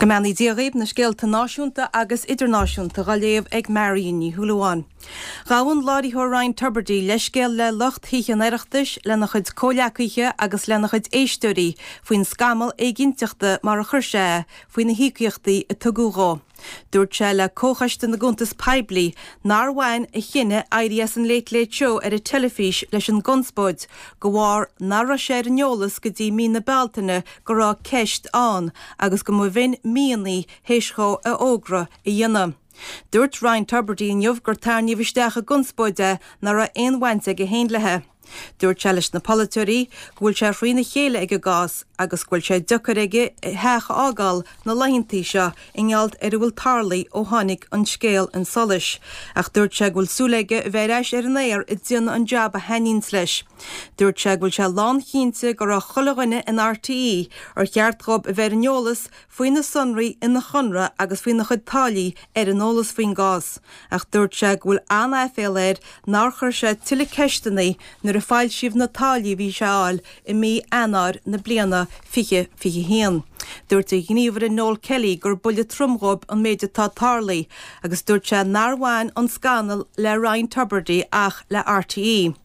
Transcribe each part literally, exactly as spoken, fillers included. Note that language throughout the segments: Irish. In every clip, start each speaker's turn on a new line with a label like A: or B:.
A: Go mbeannaí Dia dhaoibh, na scéalta náisiúnta agus idirnáisiúnta á léamh ag Marion Ní Shúilleabháin. Ghabh an láithreoir Ryan Tubridy leithscéal le lucht Thithe an Oireachtais, lena chuid comhghleacaithe agus lena chuid éisteoirí faoin scamall éiginnteachta mar a chuir sé é faoi na híocaíochtaí a tugadh dhó. Dúirt sé le Comhchoiste na gCuntas Poiblí nár bhain a chinneadh éirí as an Late Late Show ar an teilifís leis an gconspóid de bharr nach raibh sé ar an eolas go dtí mí na Bealtaine go raibh ceist ann agus go mba bhinn míonna théis dhó a fhógra a dhéanamh. Dúirt Ryan Tubridy inniu gur tarraingíodh isteach i gconspóid é nach raibh aon bhaint aige féin léi. Dúirt sé leis na polaiteoirí go bhfuil sé thrína chéile ag an gcás agus go bhfuil sé deacair aige a theach a fhágáil na laethanta seo i ngeall ar a bhfuil tarlaithe ó tháinig an scéal chun solais. Ach dúirt sé go bhfuil súil aige a bheith ar ais ar an aer ag déanamh an jab a thaitníonns leis. Dúirt sé go bhfuil sé lánchinnte go raibh chuile dhuine in RTÉ ar cheart dhóibh a bheith ar an eolas faoi na sonraí ina chonradh agus faoina chuid táillí ar an eolas faoin gcás, ach dúirt sé go bhfuil an-aiféala air nár chuir sé tuilleadh ceisteanna nuair a foilsíodh na táillí a bhí sé a fháil i mí Eanáir na bliana fiche fiche haon. Dúirt a ghníomhaire Noel Kelly gur buille trom dhóibh an méid atá tarlaithe agus dúirt sé nár bhain an scannal le Ryan Tubridy ach le RTÉ.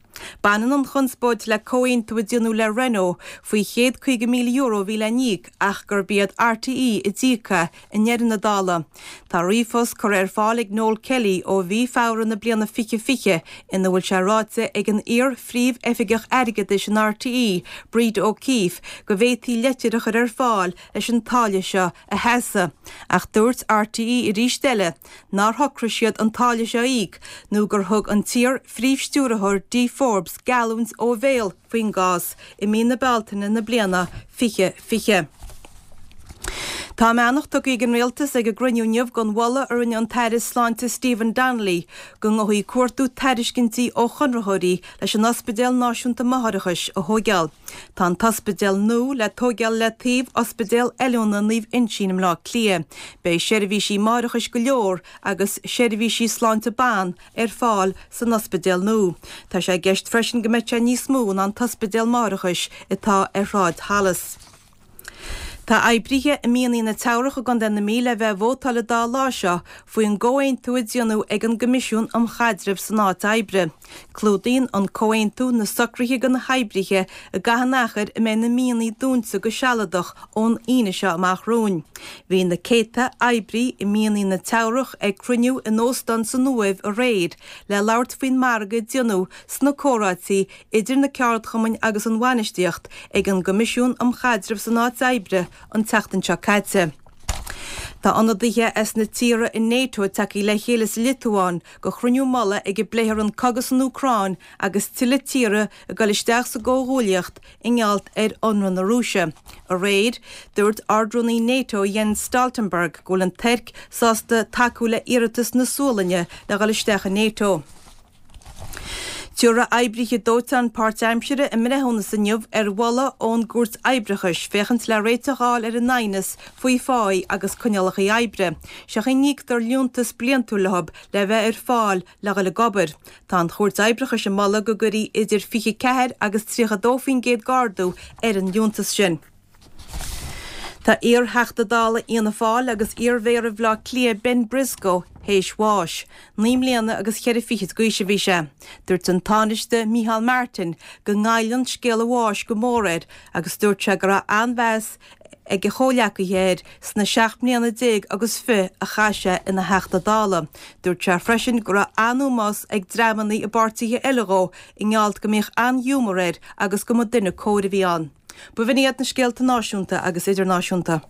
A: Baineann an chonspóid le comhaontú a déanadh le Renault faoi chéad caoga míle euro a bhí le n-íoc ach gurb iad RTÉ a d'íoc é i ndeireadh na dála. Tá ríomhphost curtha ar fáil ag Noel Kelly ó mhí Feabhra na bliana fiche fiche ina bhfuil sé ráite ag an iar-phríomh-oifigeach airgeadais in RTÉ, Breda O'Keeffe, go bhféadfaí leitir a chur ar fáil leis an táille seo a sheasamh. Ach dúirt RTÉ arís eile nár shocraigh siad an táille seo a íoc nó gur thug an t-iar-phríomh-stiúrthóir Dee Forbes geallúint ó bhéal faoin gcás i mí na Bealtaine na bliana fiche fiche. Tá a mbeannacht tugtha ag an Rialtas ag an gcruinniú inniu don mholadh a rinne an tAire Sláinte Stephen Donnelly go ngabhfaí ag cuartú tairiscintí ó chonraitheoirí leis an Ospidéal Náisiúnta Máithreachais a thóigeáil. Tá an t-ospidéal nua le tóigeáil le taobh Ospidéal Oiliúna Naomh Uinseann i mBleá Cliath. Beidh seirbhísí máithreachais go leor agus seirbhísí sláinte ban ar fáil san ospidéal nua. Tá sé i gceist freisin go mbeidh sé níos mó ná an t-ospidéal máithreachais atá ar Shráid Holles. Tá oibrithe i mianaigh na Teamhrach i gContae na Mí le bheith ag vótáil an dá lá seo faoin gcomhaontú a déanadh ag an gCoimisiún um Chaidreamh san Áit Oibre. Clúdaíonn an comhaontú na socruithe do na hoibrithe i gcaitheamh an achair a mbeidh na mianaigh dúnta go sealadach ón Aoine seo amach romhainn. Bhí na céadta oibrí i mianaigh na Teamhrach ag cruinniú in óstán san Uaimh aréir le labhairt faoin margadh a déanadh sna comhráití idir na ceardchumainn agus an bhainistíocht ag an gCoimisiún um Chaidreamh san Áit Oibre an tseachtain seo caite. Tá ionadaithe as na tíortha in NATO tagtha le chéile sa Liotuáin do chruinniú mullaigh ag a bpléifear an cogadh san Úcráin agus tuilleadh tíortha ag dul isteach sa gcomhghuaillíocht i ngeall ar ionradh na Rúise. Aréir, dúirt Ard-Rúnaí NATO Jens Stoltenberg go bhfuil an Tuirc sásta tacú le iarratas na Sualainne le dhul isteach in NATO. Tabharfaidh oibrithe dóiteáin páirtaimseartha a mbreithiúnas inniu ar mholadh ón gCúirt Oibreachais féachaint le réiteach a fháil ar an aighneas faoi pháí agus coinníollacha oibre. Sé an chaoi a n-íoctar liúntas bliantúil leo le bheith ar fáil le dhul ag obair. Tá an Chúirt Oibreachais ag moladh go gcuirfí idir fiche ceathair agus tríocha dó faoin gcéad d'ardú ar an liúntas sin. Tá iar-Theachta Dála Fhianna Fáil agus iar-Mhéara Bhaile Átha Cliath Ben Briscoe théis bháis. Naoi mbliana agus cheithre fichid d'aois a bhí sé. Dúirt an Tánaiste Micheál Martin go ngoilleann scéal a bháis go mór air agus dúirt sé go raibh an-mheas ag a chomhghleacaithe air sna seacht mbliana déag agus fiche a chaith sé ina Theachta Dála. Dúirt sé freisin go raibh an-ómós ag dreamanna i bpáirtithe eile dhó i ngeall go mbíodh an-ghiúmar air agus go mba duine cóir a bhí ann. B'in iad na scéalta náisiúnta agus idirnáisiúnta.